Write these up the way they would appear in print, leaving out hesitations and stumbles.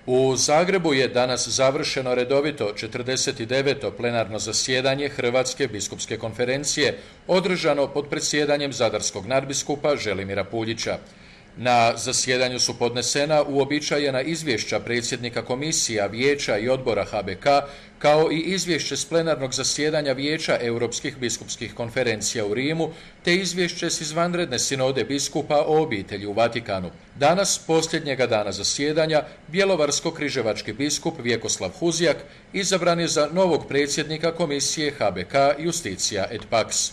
U Zagrebu je danas završeno redovito 49. plenarno zasjedanje Hrvatske biskupske konferencije, održano pod predsjedanjem zadarskog nadbiskupa Želimira Puljića. Na zasjedanju su podnesena uobičajena izvješća predsjednika komisija, vijeća i odbora HBK, kao i izvješće s plenarnog zasjedanja Vijeća Europskih biskupskih konferencija u Rimu, te izvješće s izvanredne sinode biskupa o obitelji u Vatikanu. Danas, posljednjega dana zasjedanja, bjelovarsko-križevački biskup Vjekoslav Huzjak izabran je za novog predsjednika komisije HBK Justitia et Pax.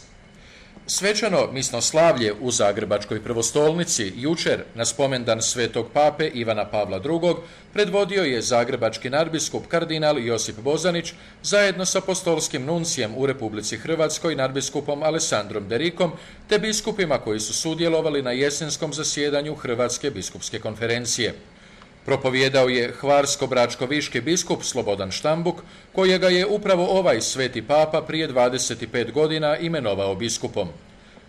Svečano misnoslavlje u Zagrebačkoj prvostolnici jučer na spomendan svetog pape Ivana Pavla II. Predvodio je zagrebački nadbiskup kardinal Josip Bozanić zajedno s apostolskim nuncijem u Republici Hrvatskoj nadbiskupom Alessandrom Derikom te biskupima koji su sudjelovali na jesenskom zasjedanju Hrvatske biskupske konferencije. Propovijedao je hvarsko-bračko-viški biskup Slobodan Štambuk, kojega je upravo ovaj sveti papa prije 25 godina imenovao biskupom.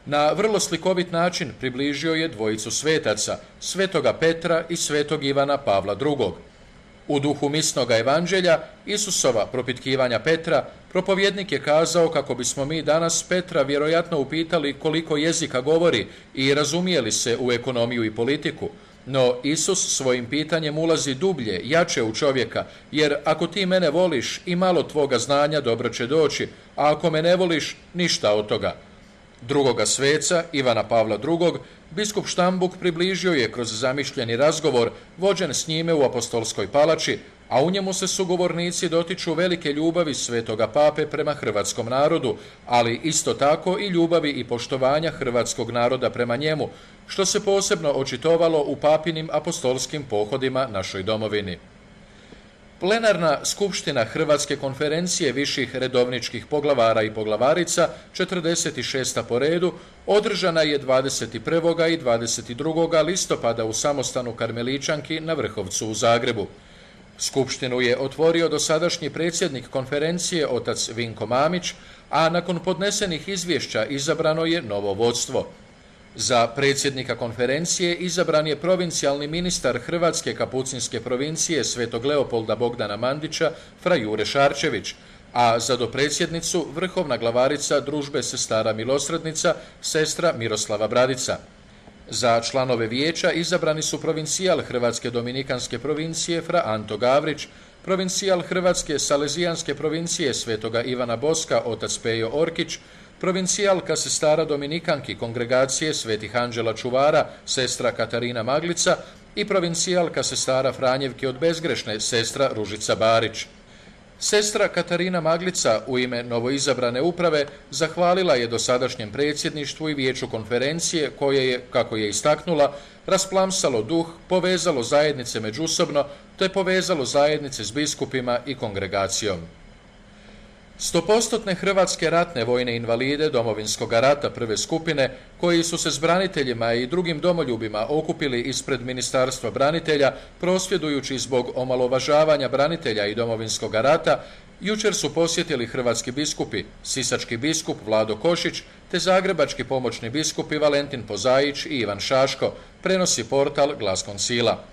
Na vrlo slikovit način približio je dvojicu svetaca, svetoga Petra i svetog Ivana Pavla II. U duhu misnoga evanđelja, Isusova propitkivanja Petra, propovjednik je kazao kako bismo mi danas Petra vjerojatno upitali koliko jezika govori i razumijeli se u ekonomiju i politiku. No Isus svojim pitanjem ulazi dublje, jače u čovjeka, jer ako ti mene voliš i malo tvoga znanja dobro će doći, a ako me ne voliš, ništa od toga. Drugoga sveca, Ivana Pavla II., biskup Štambuk približio je kroz zamišljeni razgovor vođen s njime u apostolskoj palači, a u njemu se sugovornici dotiču velike ljubavi svetoga pape prema hrvatskom narodu, ali isto tako i ljubavi i poštovanja hrvatskog naroda prema njemu, što se posebno očitovalo u papinim apostolskim pohodima našoj domovini. Plenarna skupština Hrvatske konferencije viših redovničkih poglavara i poglavarica, 46. po redu, održana je 21. i 22. listopada u samostanu Karmeličanki na Vrhovcu u Zagrebu. Skupštinu je otvorio dosadašnji predsjednik konferencije otac Vinko Mamić, a nakon podnesenih izvješća izabrano je novo vodstvo. Za predsjednika konferencije izabran je provincijalni ministar Hrvatske kapucinske provincije Svetog Leopolda Bogdana Mandića, fra Jure Šarčević, a za dopredsjednicu vrhovna glavarica Družbe sestara milosrdnica, sestra Miroslava Bradica. Za članove vijeća izabrani su provincijal Hrvatske dominikanske provincije fra Anto Gavrić, provincijal Hrvatske salezijanske provincije Svetoga Ivana Boska otac Pejo Orkić, provincijalka sestara dominikanki kongregacije Svetih Anđela Čuvara sestra Katarina Maglica i provincijalka sestara Franjevke od Bezgrešne sestra Ružica Barić. Sestra Katarina Maglica u ime novoizabrane uprave zahvalila je dosadašnjem predsjedništvu i vijeću konferencije koje je, kako je istaknula, rasplamsalo duh, povezalo zajednice međusobno te povezalo zajednice s biskupima i kongregacijom. 100% hrvatske ratne vojne invalide Domovinskog rata prve skupine, koji su se s braniteljima i drugim domoljubima okupili ispred Ministarstva branitelja, prosvjedujući zbog omalovažavanja branitelja i Domovinskog rata, jučer su posjetili hrvatski biskupi, sisački biskup Vlado Košić, te zagrebački pomoćni biskupi Valentin Pozaić i Ivan Šaško, prenosi portal Glas Koncila.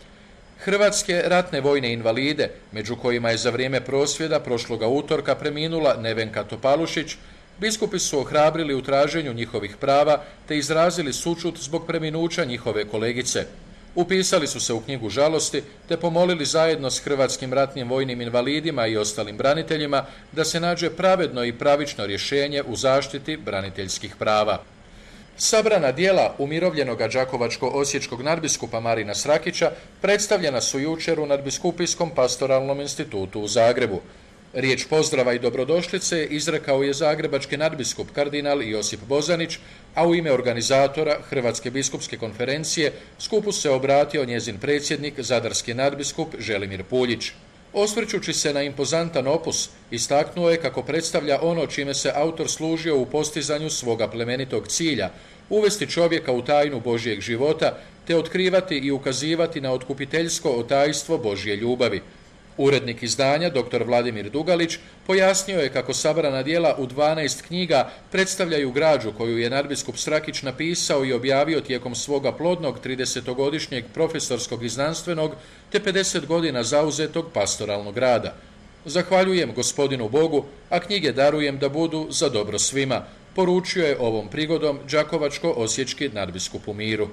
Hrvatske ratne vojne invalide, među kojima je za vrijeme prosvjeda prošloga utorka preminula Nevenka Topalušić, biskupi su ohrabrili u traženju njihovih prava te izrazili sućut zbog preminuća njihove kolegice. Upisali su se u knjigu žalosti te pomolili zajedno s hrvatskim ratnim vojnim invalidima i ostalim braniteljima da se nađe pravedno i pravično rješenje u zaštiti braniteljskih prava. Sabrana djela umirovljenoga đakovačko-osječkog nadbiskupa Marina Srakića predstavljena su jučer u Nadbiskupijskom pastoralnom institutu u Zagrebu. Riječ pozdrava i dobrodošlice izrekao je zagrebački nadbiskup kardinal Josip Bozanić, a u ime organizatora Hrvatske biskupske konferencije skupu se obratio njezin predsjednik, zadarski nadbiskup Želimir Puljić. Osvrćući se na impozantan opus, istaknuo je kako predstavlja ono čime se autor služio u postizanju svoga plemenitog cilja, uvesti čovjeka u tajnu Božjeg života, te otkrivati i ukazivati na otkupiteljsko otajstvo Božje ljubavi. Urednik izdanja, dr. Vladimir Dugalić, pojasnio je kako sabrana djela u 12 knjiga predstavljaju građu koju je nadbiskup Srakić napisao i objavio tijekom svoga plodnog 30-godišnjeg profesorskog i znanstvenog te 50 godina zauzetog pastoralnog rada. Zahvaljujem gospodinu Bogu, a knjige darujem da budu za dobro svima, poručio je ovom prigodom đakovačko-osječki nadbiskup u Miru.